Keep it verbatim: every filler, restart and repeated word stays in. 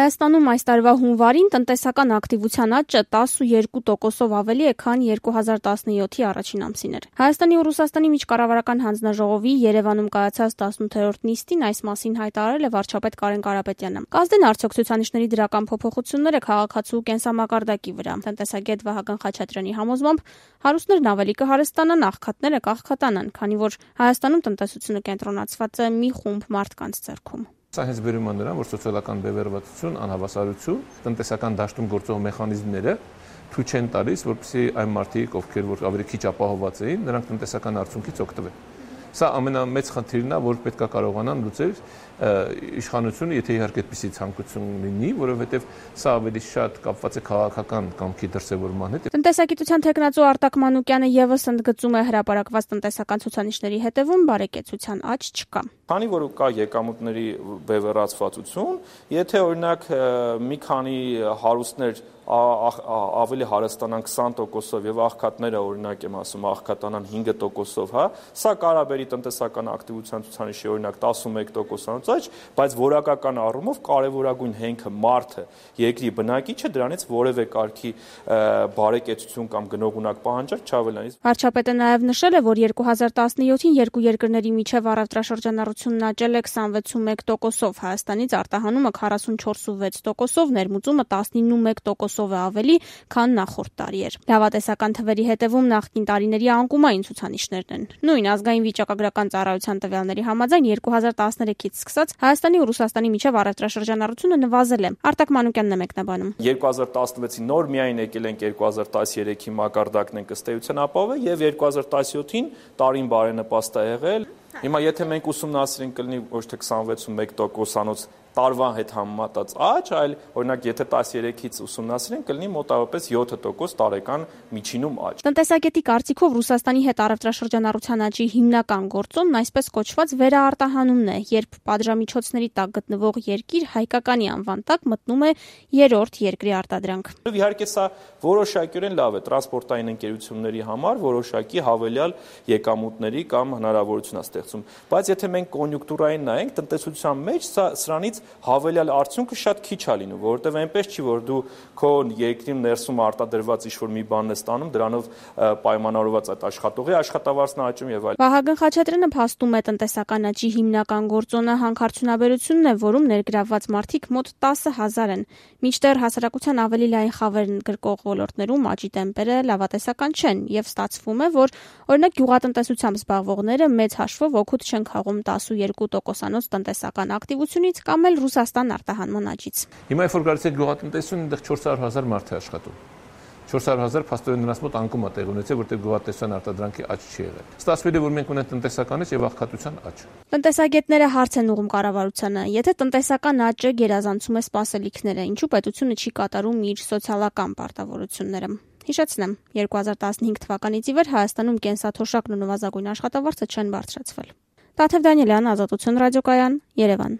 Հայաստանում այս տարվա հունվարին տնտեսական ակտիվության աճը տասնուերկու տոկոսով ավելի է, քան երկու հազար տասնյոթի առաջին ամսին էր։ Հայաստանի ու Ռուսաստանի միջկառավարական հանձնաժողովի Երևանում կայացած տասնութերորդ նիստին այս մասին հայտարարել է վարչապետ Կարեն Կարապետյանը։ Կազդեն արդյոք ցուցանիշների դրական փոփոխությունները քաղաքացու կենսամակարդակի վրա։ Տնտեսագետ Վահագն Խաչատրյանի համոզմամբ հարուստներն ավելի կհարստանան, աղքատները կաղքատանան, քանի որ Հայաստանում տնտեսությունը կենտրոնացված է մի խումբ մարդկանց ձեռքում։ Սա հենց բերում է նրան, որ սոցիալական բևեռվածություն, անհավասարություն, տնտեսական դաշտում գործող մեխանիզմները թույլ չեն տալիս, որպեսզի այն մարդիկ, ովքեր որ ավելի քիչ ապահովված էին, նրանք տնտեսական արդյունքից օգտվեն։ Սա ամենամեծ խնդիրն է, որ պետք է կարողանան լուծել իշխանությունը, եթե իհարկե այդպիսի ցանկություն լինի, որովհետև սա ավելի շատ կապված է քաղաքական կամքի դրսևորման հետ։ Տնտեսագիտության թեկնածու Արտակ Մանուկյանը եւս ընդգծում է հրապարակված տնտեսական ցուցանիշների հետևում բարեկեցության աճ չկա։ Քանի որ կա եկամուտների բևեռացվածություն, եթե օրինակ մի քանի հարուստներ ավելի հարստանան քսան տոկոսով եւ աղքատները օրինակ եմ ասում աղքատանան հինգ տոկոսով, հա, սա կարա բերի տնտեսական ակտիվության ցուցանիշի օրինակ տասնմեկ տոկոսանոց աճ, բայց որակական առումով կարևորագույն հենքը մարդը, երկրի բնակիչը դրանից որևէ կարգի բարեկեցություն կամ գնողունակ պահանջարկ չավելանի։ Վարչապետը նաեւ նշել է, որ երկու հազար տասնյոթին երկու երկրների միջև առևտրաշրջանառությունն աճել է քսանվեցումեկ տոկոսով, Հայաստանից արտահանումը քառասունչորսուվեց տոկոսով, ներմուծումը տասնինմեկ տոկոսով է ավելի, քան նախորդ տարի էր։ Լավատեսական թվերի հետևում նախկին տարիների անկումային ցուցանիշներն են։ Նույն ազգային վիճակագրական ծառայության տվյալների համաձայն երկու հազար տասներեքից սկսած Հայաստանի ու Ռուսաստանի միջև առևտրաշրջանառությունը նվազել է։ Արտակ Մանուկյանն է մեկնաբանում։ երկու հազար տասնվեցին նոր միայն եկել ենք երկու հազար տասներեքի մակարդակն ենք ըստ էության ապահովել եւ երկու հազար տասնյոթին տարին բարենպաստ է եղել։ Հիմա եթե մենք ուսումնասիրենք կլինի ոչ թե քսանվեցումեկ տոկոսանոց տարվա հետ համեմատած աճ, այլ օրինակ եթե տասներեքից ուսումնասիրենք կլինի մոտավորապես յոթ տոկոս տարեկան միջինում աճ։ Տնտեսագետի կարծիքով Ռուսաստանի հետ առևտրաշրջանառության աճի հիմնական գործոնն այսպես կոչված վերաարտահանումն է, երբ պատժամիջոցների տակ գտնվող երկիր հայկականի անվան տակ մտնում է երրորդ երկրի արտադրանք։ Իհարկե սա որոշակիորեն լավ է տրանսպորտային ընկերությունների համար, որոշակի հավելյալ եկամուտների կամ հնարավորություն է ստեղծում, բայց եթե մենք կոնյունկտուրային նայենք, տնտեսության մեջ սա սրանից հավելյալ արդյունքը շատ քիչ է լինում, որովհետև այնպես չի, որ դու քո երկրին ներսում արտադրված ինչ-որ մի բանն ես ստանում, դրանով պայմանավորված այդ աշխատողի աշխատավարձն աճում եւ այլն։ Վահագն Խաչատրյանը փաստում է տնտեսական աճի հիմնական գործոնը հանքարդյունաբերությունն է, որում ներգրավված մարդիկ մոտ տասը հազար են։ Մինչդեռ հասարակության ավելի լայն խավերն գրկող ոլորտներում աճի տեմպերը լավատեսական չեն եւ ստացվում է, որ օրինակ գյուղատնտեսությամբ զբաղվողները մեծ հաշվով օգուտ չեն քաղում տասնուերկու տոկոսանոց տնտեսական ակտիվությունից կամ էլ Ռուսաստան արտահանման աճից։ Հիմա երբ որ գալիս է գյուղատնտեսություն, այնտեղ չորս հարյուր հազար մարդ է աշխատում։ չորս հարյուր հազար փաստորեն նրանց մոտ անկում է տեղ ունեցել, որտեղ գյուղատնտեսության արտադրանքի աճ չի եղել։ Ստացվել է, որ մենք ունենք տնտեսական աճ եւ աղքատության աճ։ Տնտեսագետները հարց են ուղղում կառավարությանը, եթե տնտեսական աճը գերազանցում է սպասելիքները, ինչու պետությունը չի կատարում իր սոցիալական պարտավորությունները։ Հիշեցնեմ, երկու հազար տասնհինգ թվականից ի վեր Հայաստանում կենսաթոշակն ու նվազագույն աշխատավարձը չեն բարձրացվել։ Տաթև Դանիելյան, Ազատություն ռադիոկայան, Երևան։